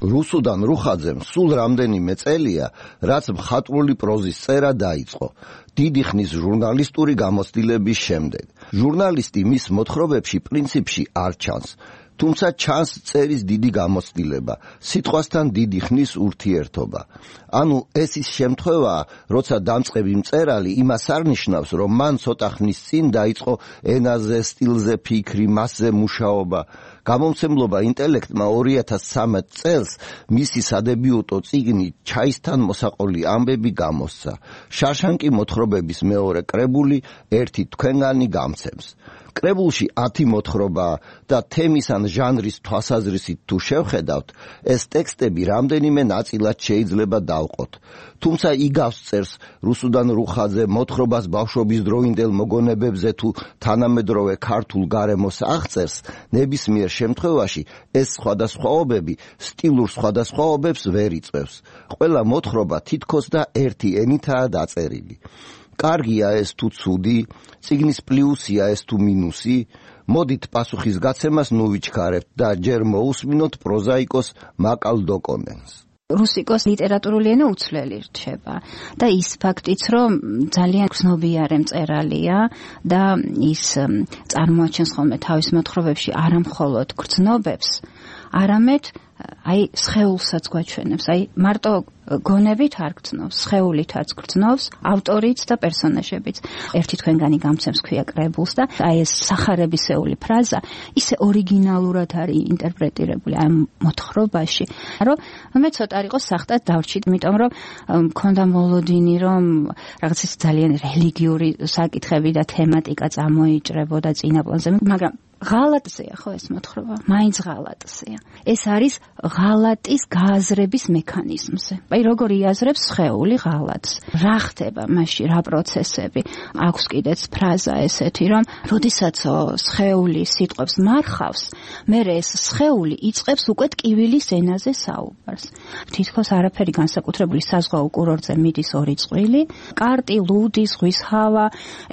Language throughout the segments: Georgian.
რუსუდან რუხაძემ სულ რამდენიმე წელია, რაც მხატვრული პროზის წერა დაიწყო, დიდი ხნის ჟურნალისტური გამოცდილების შემდეგ. ჟურნალისტი მის მოთხრობებში პრინციპში არ ჩანს, თუმცა ჩანს წერის დიდი გამოცდილება, სიტყვასთან დიდი ხნის ურთიერთობა. ანუ ეს ის შემთხვევაა, როცა დამწყები მწერალი იმას არ ნიშნავს, რომ მან ცოტა ხნის წინ დაიწყო ენაზე, სტილზე ფიქრი, მასზე მუშაობა. გამომცემლობა ინტელექტმა 2013 წელს მისი სადებიუტო წიგნი ჩაისთან მოსაყოლი ამბები გამოსცა. შარშანკი მოთხრობების მეორე კრებული ერთი თქვენგანი გამცემს. კრებულში 10 მოთხრობაა და თემის ან ჟანრის თვალსაზრისით თუ შევხედავთ, ეს ტექსტები რამდენიმე ნაწილად შეიძლება დავყოთ. თუმცა იგავს წერს რუსუდან რუხაძე მოთხრობას ბავშვობის დროინდელ მოგონებებზე თუ თანამედროვე ქართულ გარემოს აღწერს, ნებისმიერ შემთხვევაში ეს სხვადასხვაობები სტილურ სხვადასხვაობებს ვერ იწვევს. ყველა მოთხრობა თითქოს და ერთი ენითაა დაწერილი. კარგია ეს თუ ცუდი, წიგნის პლუსია ეს თუ მინუსი, მოდით პასუხის გაცემას ნუვიჩქარებთ და ჯერ მოусმინოთ პროზაიკოს მაკალ დოკონენს. რუსიკოს ლიტერატურული ენა უცვლელი რჩება და ის ფაქტიც, რომ ძალიან გრძნობიარე მწერალია და ის წარმოაჩენს ხოლმე თავის მოთხრობებში არა მხოლოდ გრძნობებს, არამედ აი სხეულსაც გვაჩვენებს, აი მარტო გონებით არ გრძნობს, სხეულითაც გრძნობს, ავტორიც და პერსონაჟებიც. ერთი თქვენგანი გამცემს ქვია კრებულს და აი ეს სახარებისეული ფრაზა ისე ორიგინალურად არის ინტერპრეტირებული ამ მოთხრობაში, რომ მე ცოტა არ იყოს სახტად დავრჩით, იმიტომ რომ მქონდა მოლოდინი, რომ რაღაც ის ძალიან რელიგიური საკითხები და თემატიკა წამოიჭრებოდა წინა პლანზე, მაგრამ ღალატზეა ხო ეს მოთხრობა? მაინც ღალატზეა. ეს არის ღალატის გააზრების მექანიზმზე. აი როგორ იაზრებს სხეული ღალატს? რა ხდება მასში, რა პროცესები? აქვს კიდეც ფრაზა ესეთი, რომ როდესაც სხეული სიტყვებს მარხავს, მერე ეს სხეული იწყებს უკვე ტკივილის ენაზე საუბარს. თითქოს არაფერი განსაკუთრებული საზღვაო კურორტზე მიდის ორი წყვილი, კარტი, ლუდი, ზღვის ჰავა,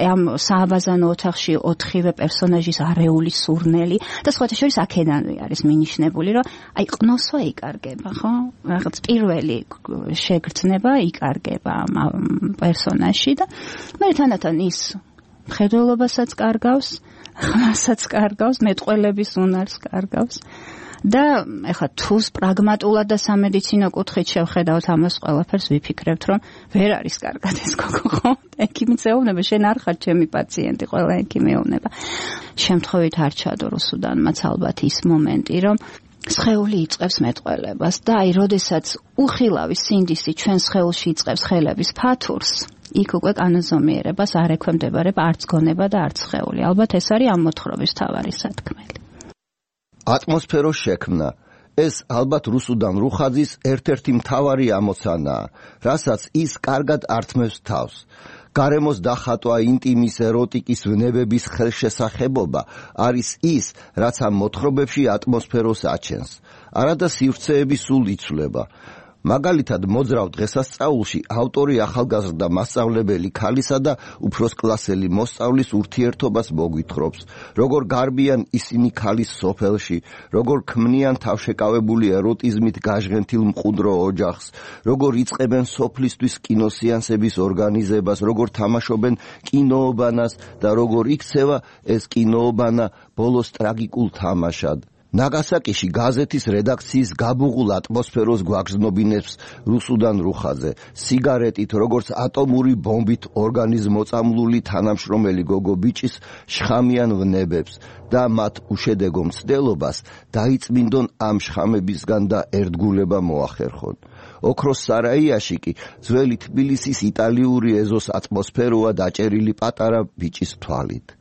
ამ სააბაზანო ოთახში 4-ვე პერსონაჟის არეული სურნელი და სხვათა შორის აქედანვე არის მინიშნებული, რომ აი ყნოსვა იკარგება, ხო? რაღაც პირველი შეგრძნება იკარგება პერსონაჟში და მე თანდათან ის მხედველობასაც კარგავს, ხმასაც კარგავს, მეტყველების უნარს კარგავს. და ეხლა თუ პრაგმატულად და სამედიცინო კუთხით შევხედავთ ამას ყველაფერს, ვიფიქრებთ, რომ ვერ არის კარგად ეს გოგო, ხო? ექიმიც ეუბნება, შენ არ ხარ ჩემი პაციენტი, ყველა ექიმი ეუბნება. შემთხვევით არ ჩადო რუსუდანმაც ალბათ ის მომენტი, რომ სხეული იწყებს მეტყველებას და აი როდესაც უხილავი სინდისი ჩვენ სხეულში იწყებს ხელების ფათურს, იქ უკვე კანონზომიერებას არ ექვემდებარება არც გონება და არც სხეული. ალბათ ეს არის ამ მოთხრობის მთავარი სათქმელი. ატმოსფეროს შექმნა. ეს ალბათ რუსუდან რუხაძის ერთ-ერთი მთავარი ამოცანაა, რასაც ის კარგად ართმევს თავს. გარემოს დახატვა, ინტიმის, ეროტიკის, ვნებების ხელშესახებობა არის ის, რაც ამ მოთხრობებში ატმოსფეროს აჩენს. არადა სივრცეები სულ იცვლება. მაგალითად, მოძრავ დღესასწაულში ავტორი ახალგაზრდა მასწავლებელი ქალისა და უფროსკლასელი მოსწავლის ურთიერთობას მოგვითხრობს, როგორ გარბიან ისინი ქალის სოფელში, როგორ ქმნიან თავშეკავებული ეროტიზმით გაჟღენთილ მყუდრო ოჯახს, როგორ იწყებენ სოფლისთვის კინოსეანსების ორგანიზებას, როგორ თამაშობენ კინოობანას და როგორ იქცევა ეს კინოობანა ბოლოს ტრაგიკულ თამაშად. ნაგასაკიში გაზეთის რედაქციის გაბუღულ ატმოსფეროს გვაგრძნობინებს რუსუდან რუხაძე, სიგარეტით, როგორც ატომური ბომბით ორგანიზმოწამლული თანამშრომელი გოგო ბიჭის შხამიან ვნებებს და მათ უშედეგო მცდელობას დაიწმინდონ ამ შხამებისგან და ერთგულება მოახერხონ. ოქროს სარაიაში კი ძველი თბილისის იტალიური ეზოს ატმოსფეროა დაჭერილი პატარა ბიჭის თვალით.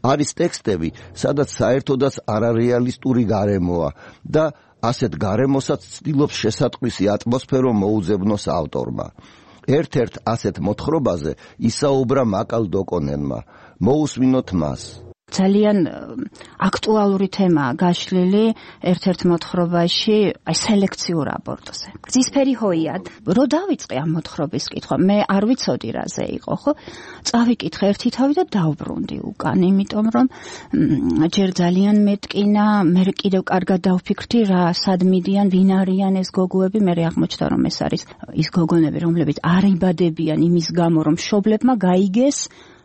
არის ტექსტები, სადაც საერთოდაც არარეალისტური გარემოა და ასეთ გარემოსაც ცდილობს შესატყვისი ატმოსფერო მოუძებნოს ავტორმა. ერთ-ერთ ასეთ მოთხრობაზე ისაუბრა მაკალ დოკონენმა. მოусმინოთ მას. ძალიან აქტუალური თემაა გაშლილი ერთ-ერთ მოთხრობაში, აი სელექციურ აბორტზე. გზისფერი ჰოიად, რო დავიწყე ამ მოთხრობის კითხვა, მე არ ვიცოდი რაზე იყო, ხო? წავიკითხე ერთი თავი და დავბრუნდი უკან, იმიტომ რომ ჯერ ძალიან მეტკინა, მე კიდევ კარგად დავფიქრდი რა სად მიდიან, ვინ არიან ეს გოგოები, მე აღმოჩნდა რომ ეს არის ის გოგონები, რომლებიც არ იბადებიან იმის გამო, რომ მშობლებმა გაიგეს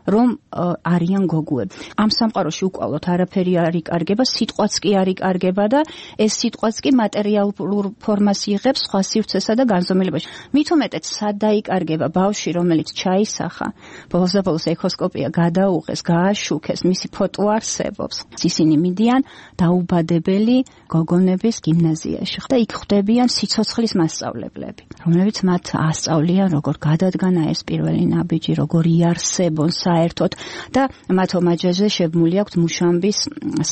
რომ არიან გოგოები. ამ სამყაროში უკვალოდ არაფერი არ იკარგება, სიტყვაც კი არ იკარგება და ეს სიტყვაც კი მატერიალურ ფორმას იღებს სხვა სივრცესა და განზომილებაში. მით უმეტეს სად დაიკარგება ბავშვი, რომელიც ჩაისახა, ბოლოს ექოსკოპია გადაუღეს, გააშუქეს, მისი ფოტო არსებობს. ისინი მიდიან დაუბადებელი გოგონების გიმნაზიაში და იქ ხვდებიან სიცოცხლის მასწავლებლები, რომლებიც მათ ასწავლიან როგორ გადადგანა ეს პირველი ნაბიჯი, როგორ იარსებონ საერთოდ და მათ ომაჯაზე შეგმული აქვთ მუშამბის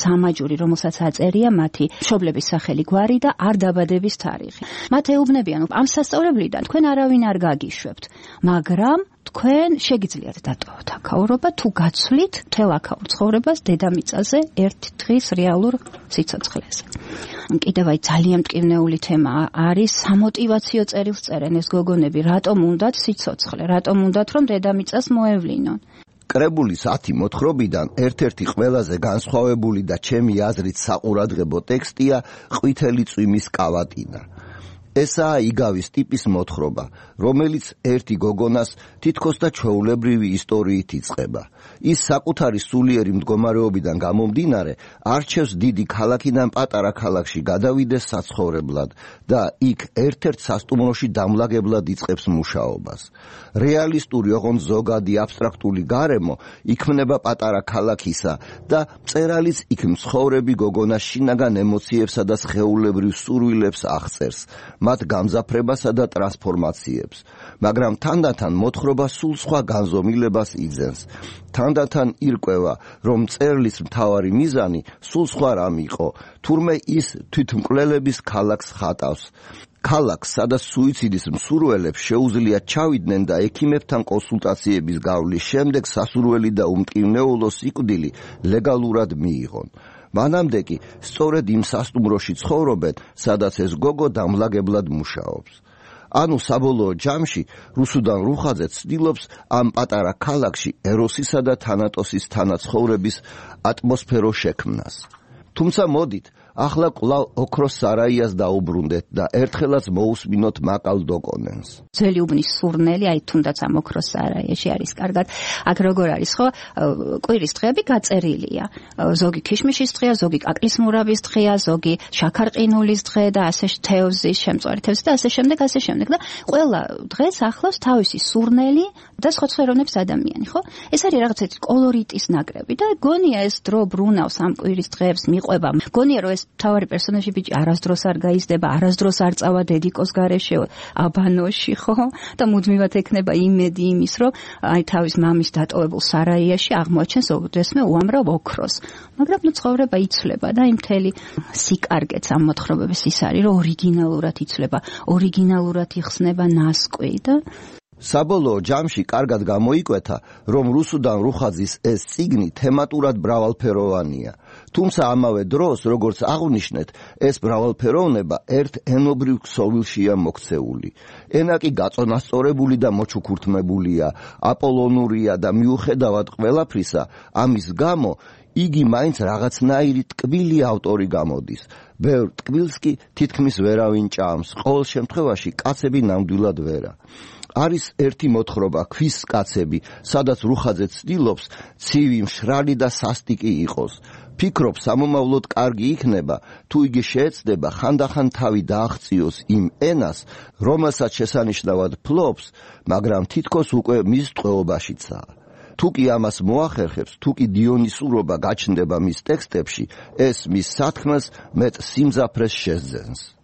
სამაჯური, რომელსაც აწერია მათი მშობლების სახელი, გვარი და არ დაბადების თარიღი. მათ ეუბნებიან, ამ სასწავლებლიდან თქვენ არავინ არ გაგიშვებთ, მაგრამ თქვენ შეგიძლიათ დატოვოთ აქაურობა თუ გაცვლით მთელ აქაურ ცხოვრებას დედამიწაზე ერთი დღის რეალურ სიცოცხლეზე. კიდევ აი ძალიან მტკივნეული თემა არის სამოტივაციო წერილს წერენ ეს გოგონები, რატომ უნდათ სიცოცხლე, რატომ უნდათ რომ დედამიწას მოევლინონ. კრებულის 10 მოთხრობიდან ერთ-ერთი ყველაზე განსხვავებული და ჩემი აზრით საყურადღებო ტექსტია ყვითელი წვიმის კავატინა. ესაა იგავის ტიპის მოთხრობა, რომელიც ერთი გოგონას თითქოს და ჩვეულებრივი ისტორიით იწყება. ის საკუთარი სულიერი მდგომარეობიდან გამომდინარე არჩევს დიდი ქალაქიდან პატარა ქალაქში გადავიდეს საცხოვრებლად და იქ ერთ-ერთ სასტუმროში დამლაგებლად იწყებს მუშაობას. რეალისტური ოღონდ ზოგადი აბსტრაქტული გარემო იქმნება პატარა ქალაქისა და მწერალიც იქ მცხოვრები გოგონას შინაგან ემოციებსა და სხეულებრივ სურვილებს აღწერს. მათ გამზაფრებასა და ტრანსფორმაციებს, მაგრამ თანდათან მოთხრობა სულ სხვა განზომილებას იძენს. თანდათან ირკვევა, რომ მწერლის მთავარი მიზანი სულ სხვა რამ იყო, თურმე ის თვითმკვლელების ქალაქს ხატავს. ქალაქს, სადაც სუიციდის მსურველებს შეუძლიათ ჩავიდნენ და ექიმებთან კონსულტაციების გავლის შემდეგ სასურველი და უმტკივნეულო სიკვდილი ლეგალურად მიიღონ. მანამდე კი სწორედ იმ სასტუმროში ცხოვრობენ, სადაც ეს გოგო დამლაგებლად მუშაობს. ანუ საბოლოო ჯამში რუსუდან რუხაძე ცდილობს ამ პატარა ქალაქში ეროსისა და თანატოსის თანაცხოვრების ატმოსფერო შექმნას. თუმცა მოდით, ახლა კვლავ ოქროს სარაიას დაუბრუნდეთ და ერთხელაც მოусმინოთ მაკალ დოკონენს. ძველი უბნის სურნელი, აი თუნდაც ამ ოქროს სარაიაში არის კარგად. აქ როგორ არის, ხო? კვირის დღეები გაწერილია. ზოგი ქიშმიშის დღეა, ზოგი კაკლის მურაბის დღეა, ზოგი შაქარყინულის დღე და ასე თევზის, შემწვარი თევზის და ასე შემდეგ და ყველა დღეს ახლავს თავისი სურნელი და სხვა ხელოვნების ადამიანი, ხო? ეს არის რაღაცა კოლორიტის ნაკრები და გონია ეს დრო ბრუნავს ამ კვირის დღეებს მიყვება. გონია რომ ეს თავარი პერსონაჟი ბიჭი არასდროს არ გაიზრდება, არასდროს არ წავა დედიკოს გარეშე აბანოში, ხო? და მუდმივად ექნება იმედი იმის, რომ აი თავის მამის დატოვებულ სარაიაში აღმოაჩენს ოდესმე უამრავ ოქროს. მაგრამ ნუ ცხოვრება იცვლება და იმ მთელი სიკარგეც ამ მოთხრობების ის არის, რომ ორიგინალურად იცვლება, ორიგინალურად იხსნება ნასკვი და საბოლოო ჯამში კარგად გამოიკვეთა, რომ რუსუდან რუხაძის ეს წიგნი თემატურად მრავალფეროვანია. თუმცა ამავე დროს, როგორც აღვნიშნეთ, ეს მრავალფეროვნება ერთ ენობრივ ქსოვილშია მოქცეული. ენა კი გაწონასწორებული და მოჩუქურთმებულია, აპოლონურია და მიუხედავად ყველაფრისა, ამის გამო იგი მაინც რაღაცნაირი ტკბილი ავტორი გამოდის. ბევრ ტკბილს კი თითქმის ვერავინ ჭამს, ყოველ შემთხვევაში კაცები ნამდვილად ვერა. არის ერთი მოთხრობა ქვის კაცები, სადაც რუხაძე ცდილობს ცივი, მშრალი და სასტიკი იყოს. ფიქრობ სამომავლოდ კარგი იქნება, თუ იგი შეეცდება ხანდახან თავი დააღწიოს იმ ენას, რომელსაც შესანიშნავად ფლობს, მაგრამ თითქოს უკვე მის ტყვეობაშიცაა. თუ კი ამას მოახერხებს, თუ კი დიონისურობა გაჩნდება მის ტექსტებში, ეს მის სათქმელს მეტ სიმძაფრეს შესძენს.